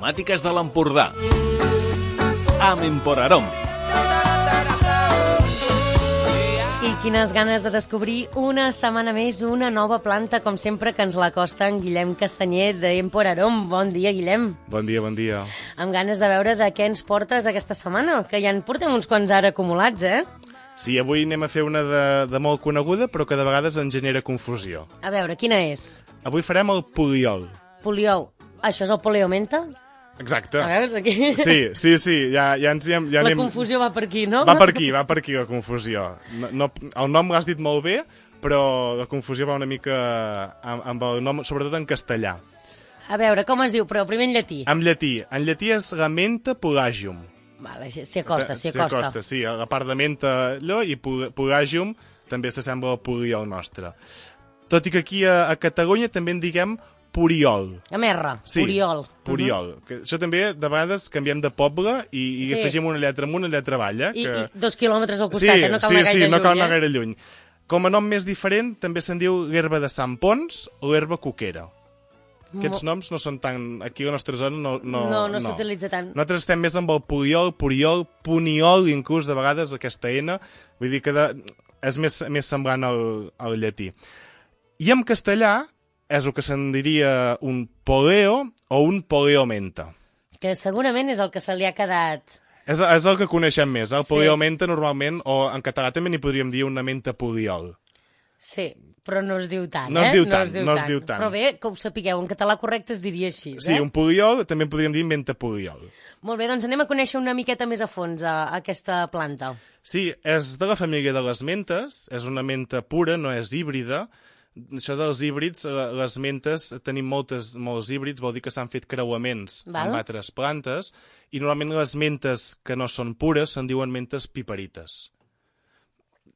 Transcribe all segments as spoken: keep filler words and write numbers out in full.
aromàtiques de l'Empordà. Amb Emporarom. I quines ganes de descobrir una setmana més una nova planta, com sempre que ens l'acosta en Guillem Castanyer d'Emporarom. Bon dia, Guillem. Bon dia, bon dia. Amb ganes de veure de què ens portes aquesta setmana, que ja en portem uns quants ara acumulats, eh? Sí, avui anem a fer una de, de molt coneguda, però que de vegades en genera confusió. A veure, quina és? Avui farem el poliol. Poliol. Això és el poliomenta? Exacte. A veure, aquí... Sí, sí, sí, ja, ja ens hi hem... Ja la anem... confusió va per aquí, no? Va per aquí, va per aquí la confusió. No, no, el nom l'has dit molt bé, però la confusió va una mica amb, amb el nom, sobretot en castellà. A veure, com es diu, però primer en llatí. En llatí. En llatí és la menta pulagium. Vale, s'hi acosta, s'hi S'hi acosta. acosta, sí. La part de menta allò i pulagium també s'assembla al poliol nostre. Tot i que aquí a, a Catalunya també en diguem puriol. A merra, sí, puriol. Puriol. Uh-huh. Que això també, de vegades, canviem de poble i, i sí. afegim una lletra amunt, una lletra avall. Eh? I, que... I dos quilòmetres al costat, sí, eh? No cal sí, anar gaire sí, lluny. no cal anar eh? gaire lluny. Com a nom més diferent, també se'n diu l'herba de Sant Pons o l'herba coquera. Aquests Mo... noms no són tan... Aquí a la nostra zona no... No, no, no, no. no. s'utilitza tant. Nosaltres estem més amb el poliol, puriol, puniol, inclús de vegades aquesta N. Vull dir que de... és més, més semblant al, al llatí. I en castellà és el que se'n diria un poleo o un poleomenta. Que segurament és el que se li ha quedat... És, és el que coneixem més. El sí. poleomenta normalment, o en català també n'hi podríem dir una menta poliol. Sí, però no es diu tant, no eh? Es diu tant, no es diu no tant. es diu tant. Però bé, que ho sapigueu, en català correcte es diria així, eh? Sí, un poliol també podríem dir menta poliol. Molt bé, doncs anem a conèixer una miqueta més a fons a, a aquesta planta. Sí, és de la família de les mentes, és una menta pura, no és híbrida. Això dels híbrids, les mentes, tenim moltes, molts híbrids, vol dir que s'han fet creuaments Val. amb altres plantes, i normalment les mentes que no són pures se'n diuen mentes piperites.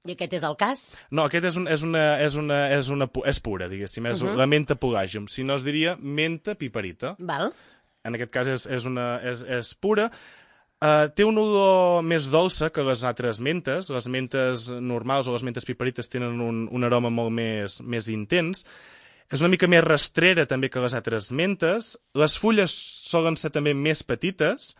I aquest és el cas? No, aquest és, un, és, una, és, una, és, una, és pura, diguéssim, és uh-huh. la menta pulagium. Si no es diria menta piperita. Val. En aquest cas és, és, una, és, és pura. Uh, té una olor més dolça que les altres mentes. Les mentes normals o les mentes piperites tenen un, un aroma molt més, més intens. És una mica més rastrera també que les altres mentes. Les fulles solen ser també més petites.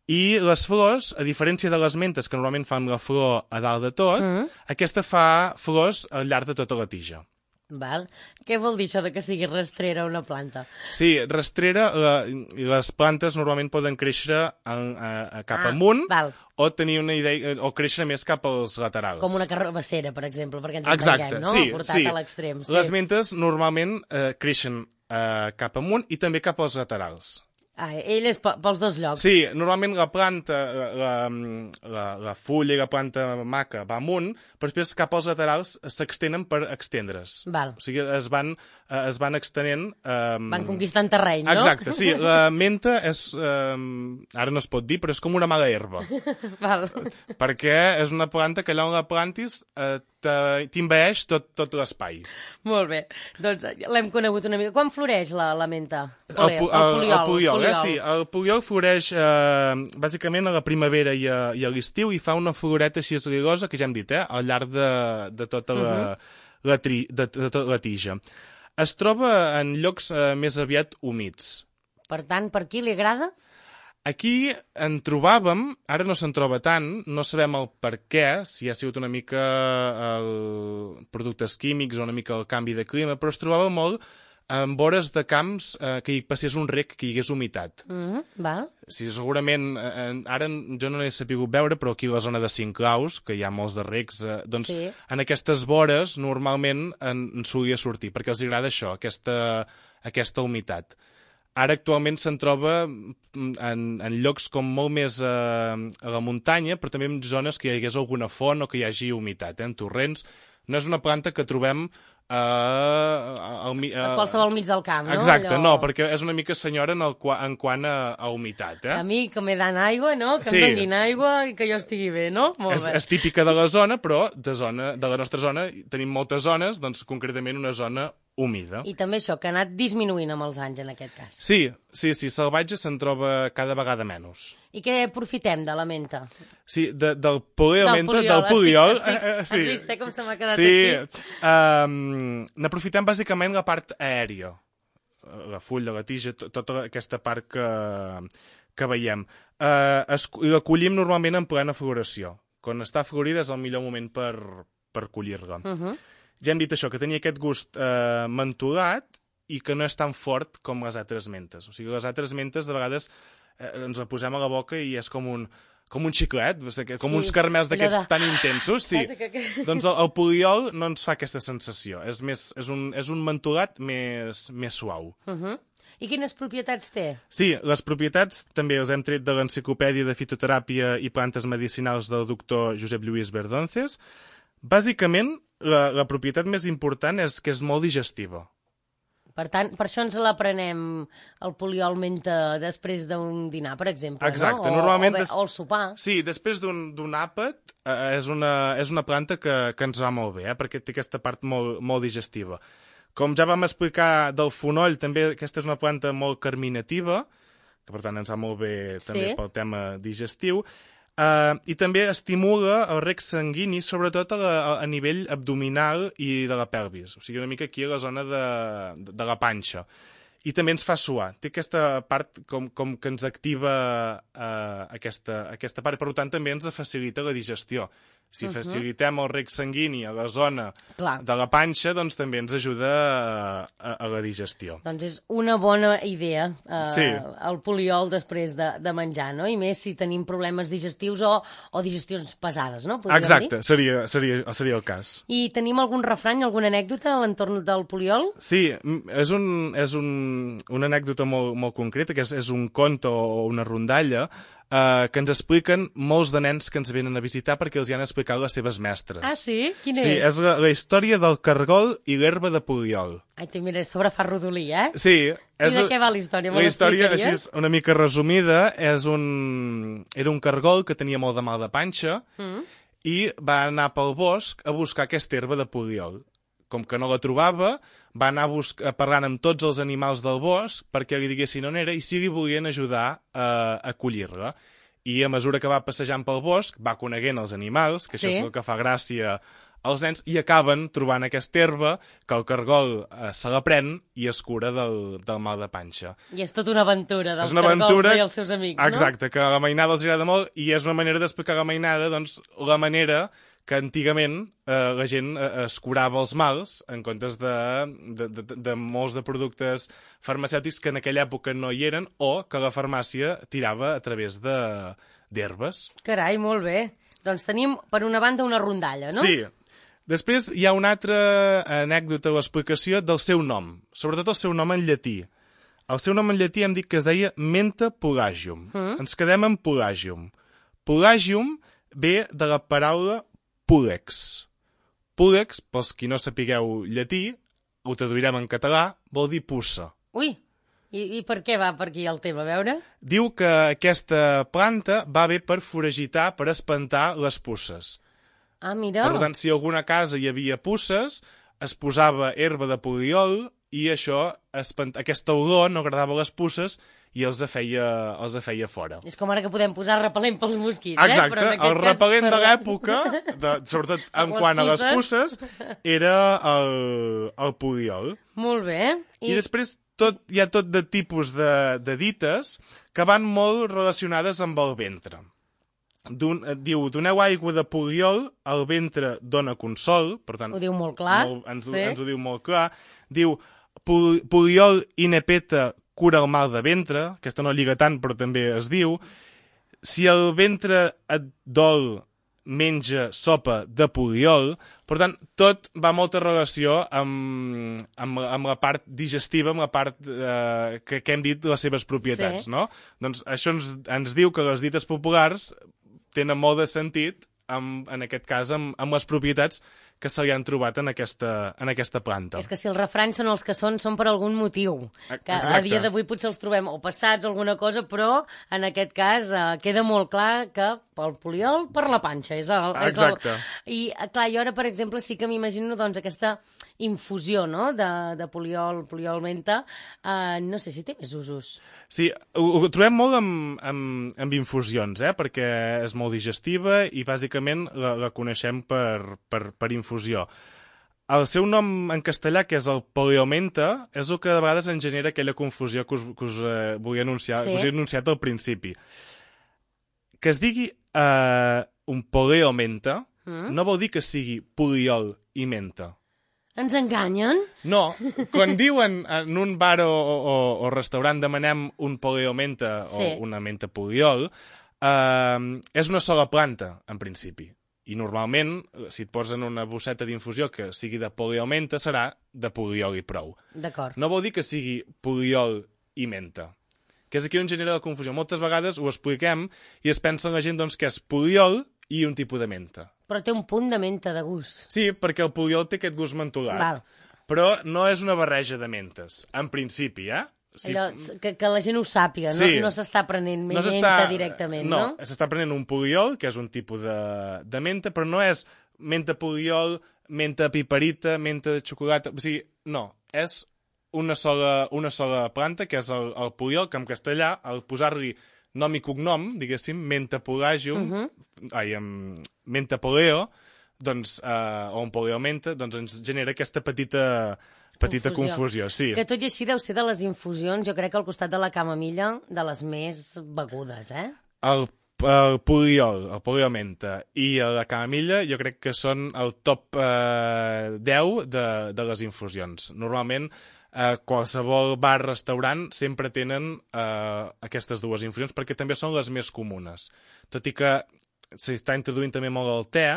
I les flors, a diferència de les mentes, que normalment fan la flor a dalt de tot, mm-hmm. aquesta fa flors al llarg de tota la tija. Val. Què vol dir això de que sigui rastrera una planta? Sí, rastrera, la, les plantes normalment poden créixer a, a, a cap ah, amunt val. o tenir una idea, o créixer més cap als laterals. Com una carbassera, per exemple, perquè ens Exacte, entenguem, no? sí, Portat sí. a l'extrem. Sí. Les mentes normalment eh, creixen eh, cap amunt i també cap als laterals. Ah, ell és pels dos llocs. Sí, normalment la planta, la, la, la fulla i la planta maca va amunt, però després cap als laterals s'extenen per extendre's. Val. O sigui, es van, es van extenent... Um... Van conquistant terreny, no? Exacte, sí. La menta és... Um... Ara no es pot dir, però és com una mala herba. Val. Perquè és una planta que allà on la plantis eh, t'invaeix tot, tot l'espai. Molt bé. Doncs l'hem conegut una mica. Quan floreix la, la menta? El, el, el, poliol. El poliol, eh? Sí. El poliol floreix eh, bàsicament a la primavera i a, i a l'estiu i fa una floreta així esligosa, que ja hem dit, eh? Al llarg de, de tota la, uh-huh. la, tri, de, de tota la tija. Es troba en llocs eh, més aviat humits. Per tant, per qui li agrada? Aquí en trobàvem, ara no se'n troba tant, no sabem el per què, si ha sigut una mica el productes químics o una mica el canvi de clima, però es trobava molt en vores de camps eh, que hi passés un rec, que hi hagués humitat. Mm, val. Sí, segurament, eh, ara jo no l'he sabut veure, però aquí a la zona de Cinclaus, que hi ha molts de recs, eh, doncs sí. en aquestes vores normalment en, en solia sortir, perquè els agrada això, aquesta, aquesta humitat. Ara actualment se'n troba en, en llocs com molt més eh, a la muntanya, però també en zones que hi hagués alguna font o que hi hagi humitat, eh, en torrents. No és una planta que trobem eh, al, eh, a qualsevol mig del camp, no? Exacte, Allò... no, perquè és una mica senyora en, el, en quant a, a humitat. Eh? A mi que me dan aigua, no? Que sí. em donin aigua i que jo estigui bé, no? Molt és, bé. És típica de la zona, però de, zona, de la nostra zona tenim moltes zones, doncs concretament una zona humida. I també això, que ha anat disminuint amb els anys, en aquest cas. Sí, sí, sí, salvatge se'n troba cada vegada menys. I què aprofitem de la menta? Sí, de, del poliomenta, del del poliol. Estic, estic, eh, eh, sí. Has vist, eh, com se m'ha quedat sí, aquí? Sí, um, n'aprofitem bàsicament la part aèria. la fulla, la tija, to, tota aquesta part que, que veiem. Eh, es, la collim normalment en plena floració. Quan està florida és el millor moment per, per collir-la. Uh -huh. Ja hem dit això, que tenia aquest gust eh, mentolat i que no és tan fort com les altres mentes. O sigui, les altres mentes de vegades eh, ens la posem a la boca i és com un... com un xiclet, com sí, uns caramels d'aquests de... tan intensos, sí. Doncs el, el poliol no ens fa aquesta sensació. És, més, és, un, és un mentolat més, més suau. Uh -huh. I quines propietats té? Sí, les propietats també les hem tret de l'Enciclopèdia de Fitoteràpia i Plantes Medicinals del doctor Josep Lluís Verdonces. Bàsicament, la, la propietat més important és que és molt digestiva. Per tant, per això ens l'aprenem el poliol menta després d'un dinar, per exemple, exacte, no? O, normalment... O, bé, o el sopar. Sí, després d'un àpat eh, és, una, és una planta que, que ens va molt bé, eh, perquè té aquesta part molt, molt digestiva. Com ja vam explicar del fonoll, també aquesta és una planta molt carminativa, que per tant ens va molt bé també sí. pel tema digestiu, Uh, i també estimula el rec sanguini, sobretot a, la, a nivell abdominal i de la pelvis, o sigui, una mica aquí a la zona de, de, de la panxa. I també ens fa suar. Té aquesta part com, com que ens activa uh, aquesta, aquesta part, per tant també ens facilita la digestió. Si uh -huh. facilitem el rec sanguini a la zona Clar. de la panxa, doncs també ens ajuda a, a, a la digestió. Doncs és una bona idea, eh, sí. el poliol després de, de menjar, no? I més si tenim problemes digestius o, o digestions pesades, no? Podríem Exacte, dir? seria, seria, seria el cas. I tenim algun refrany, alguna anècdota a l'entorn del poliol? Sí, és, un, és un, una anècdota molt, molt concreta, que és, és un conte o una rondalla, Uh, que ens expliquen molts de nens que ens venen a visitar perquè els hi han explicat les seves mestres. Ah, sí? Quina sí, és? Sí, és la, la història del cargol i l'herba de poliol. Ai, mira, sobre fa rodolí, eh? Sí. És, I de què va la història? La història, així és una mica resumida, és un... era un cargol que tenia molt de mal de panxa mm. i va anar pel bosc a buscar aquesta herba de poliol. Com que no la trobava, va anar a parlant amb tots els animals del bosc perquè li diguessin on era i si li volien ajudar a, a collir-la. I a mesura que va passejant pel bosc, va coneguent els animals, que sí. això és el que fa gràcia als nens, i acaben trobant aquesta herba que el cargol eh, se la pren i es cura del, del mal de panxa. I és tota una aventura dels una cargols aventura, i els seus amics, exacte, no? Exacte, que a la mainada els agrada molt i és una manera d'explicar la mainada, doncs, la manera que antigament eh, la gent eh, es curava els mals en comptes de, de, de, de molts de productes farmacèutics que en aquella època no hi eren o que la farmàcia tirava a través d'herbes. Carai, molt bé. Doncs tenim, per una banda, una rondalla, no? Sí. Després hi ha una altra anècdota o explicació del seu nom, sobretot el seu nom en llatí. El seu nom en llatí hem dit que es deia Menta pulagium. Mm. Ens quedem en pulagium. Pulagium ve de la paraula Púlex. Púlex, pels qui no sapigueu llatí, ho traduirem en català, vol dir puça. Ui, i, i per què va per aquí el tema, a veure? Diu que aquesta planta va bé per foragitar, per espantar les puces. Ah, mira. Per tant, si a alguna casa hi havia puces, es posava herba de poliol i això, espant... aquesta olor no agradava a les puces i els feia, els feia fora. És com ara que podem posar repel·lent pels mosquits, exacte, eh? Exacte, el repel·lent per... de l'època, sobretot en quant a les puces, era el, el poliol. Molt bé. I, I després tot, hi ha tot de tipus de, de dites que van molt relacionades amb el ventre. Don, diu, doneu aigua de poliol, el ventre dona consol, per tant... Ho diu molt clar. Molt, ens, sí. ho, ens ho diu molt clar. Diu, poliol i nepeta cura el mal de ventre, aquesta no lliga tant, però també es diu. Si el ventre et dol, menja sopa de poliol. Per tant, tot va molta relació amb, amb, amb la part digestiva, amb la part eh, que, que hem dit les seves propietats, sí. no? Doncs això ens, ens diu que les dites populars tenen molt de sentit, amb, en aquest cas, amb, amb les propietats que se li han trobat en aquesta, en aquesta planta. És que si els refranys són els que són, són per algun motiu. Que Exacte. A dia d'avui potser els trobem o passats o alguna cosa, però en aquest cas eh, queda molt clar que pel poliol, per la panxa. És el, Exacte. És el... I, clar, jo ara, per exemple, sí que m'imagino doncs, aquesta infusió, no?, de, de poliol, poliol menta. Eh, no sé si té més usos. Sí, ho, ho trobem molt amb, amb, amb infusions, eh?, perquè és molt digestiva i bàsicament la, la coneixem per, per, per infusió. el seu nom en castellà, que és el poliomenta, és el que de vegades en genera aquella confusió que us, que us eh, volia anunciar, sí. que us he anunciat al principi. Que es digui eh, un poliomenta mm. no vol dir que sigui poliol i menta. Ens enganyen? No, quan diuen en un bar o, o, o restaurant demanem un poliomenta sí. o una menta poliol, eh, és una sola planta, en principi. I normalment, si et posen una bosseta d'infusió que sigui de poliomenta, serà de poliol i prou. D'acord. No vol dir que sigui poliol i menta. Que és aquí on genera la confusió. Moltes vegades ho expliquem i es pensa la gent doncs, que és poliol i un tipus de menta. Però té un punt de menta de gust. Sí, perquè el poliol té aquest gust mentolat. Val. Però no és una barreja de mentes, en principi, eh? Sí. Allò, que, que la gent ho sàpiga, no, sí. no s'està prenent no menta directament, no? No, s'està prenent un poliol, que és un tipus de, de menta, però no és menta poliol, menta piperita, menta de xocolata... O sigui, no, és una sola, una sola planta, que és el, el poliol, que en castellà, al posar-li nom i cognom, diguéssim, menta polagium, uh -huh. ai, um, menta poleo, doncs, uh, o un poliomenta, doncs ens genera aquesta petita, petita confusió. confusió. Sí. Que tot i així deu ser de les infusions, jo crec que al costat de la camamilla, de les més begudes, eh? El, el poliol, el poliomenta i la camamilla jo crec que són el top uh, deu de, de les infusions. Normalment, Uh, qualsevol bar, restaurant, sempre tenen uh, aquestes dues infusions perquè també són les més comunes. Tot i que s'està introduint també molt el te,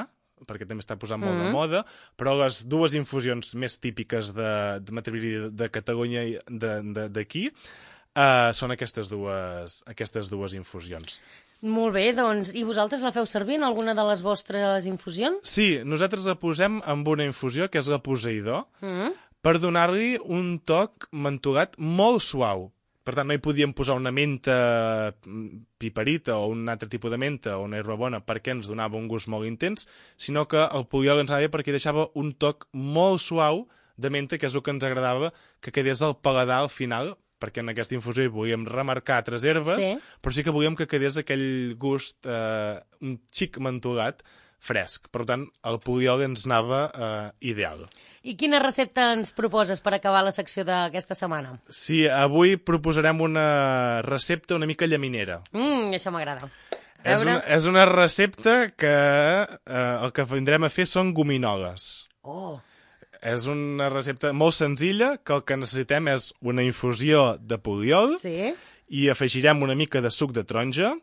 perquè també està posant molt mm-hmm. de moda, però les dues infusions més típiques de, de m'atreviria de Catalunya i d'aquí uh, són aquestes dues, aquestes dues infusions. Molt bé, doncs, i vosaltres la feu servir en alguna de les vostres infusions? Sí, nosaltres la posem amb una infusió que és la Poseidó, mm-hmm. per donar-li un toc mentolat molt suau. Per tant, no hi podíem posar una menta piperita o un altre tipus de menta o una herba bona perquè ens donava un gust molt intens, sinó que el poliol ens anava bé perquè deixava un toc molt suau de menta, que és el que ens agradava que quedés al paladar al final, perquè en aquesta infusió hi volíem remarcar altres herbes, sí. però sí que volíem que quedés aquell gust eh, un xic mentolat fresc. Per tant, el poliol ens anava eh, ideal. I quina recepta ens proposes per acabar la secció d'aquesta setmana? Sí, avui proposarem una recepta una mica llaminera. Mmm, això m'agrada. És una, és una recepta que eh, el que vindrem a fer són gominoles. Oh! És una recepta molt senzilla, que el que necessitem és una infusió de poliol sí. i afegirem una mica de suc de taronja,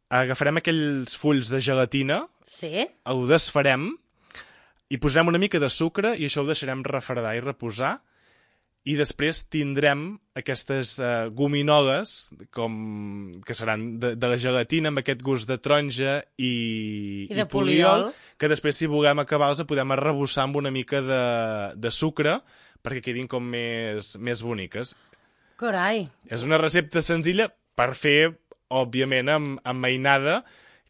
agafarem aquells fulls de gelatina, sí. ho desfarem, i posarem una mica de sucre i això ho deixarem refredar i reposar i després tindrem aquestes uh, gominoles com, que seran de, de la gelatina amb aquest gust de taronja i, I, de i poliol, poliol, que després si volem acabar-los podem arrebossar amb una mica de, de sucre perquè quedin com més, més boniques. Carai! És una recepta senzilla per fer, òbviament, amb, amb mainada,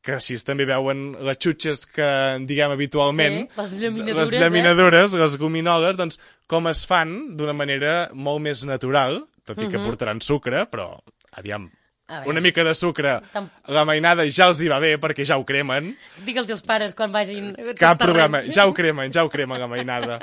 que així també veuen les xutxes que diguem habitualment, sí, les llaminadures, les, llaminadures eh? les gominoles, doncs com es fan d'una manera molt més natural, tot i que uh-huh. portaran sucre, però aviam, una mica de sucre, Tam... la mainada ja els hi va bé perquè ja ho cremen. Digue'ls als pares quan vagin... Cap problema, ja ho cremen, ja ho cremen la mainada.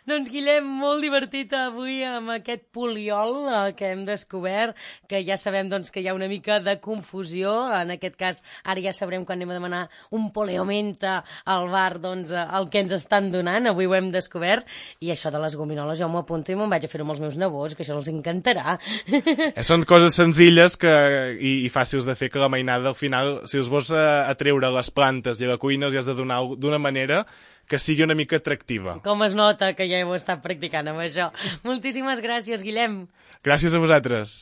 Doncs Guillem, molt divertit avui amb aquest poliol eh, que hem descobert, que ja sabem doncs, que hi ha una mica de confusió, en aquest cas ara ja sabrem quan anem a demanar un poliomenta al bar, doncs eh, el que ens estan donant, avui ho hem descobert, i això de les gominoles jo m'ho apunto i me'n vaig a fer-ho amb els meus nebots, que això els encantarà. Són coses senzilles que, i, i fàcils de fer, que la mainada al final, si els vols atreure les plantes i a la cuina els has de donar d'una manera que sigui una mica atractiva. Com es nota que ja heu estat practicant amb això. Moltíssimes gràcies, Guillem. Gràcies a vosaltres.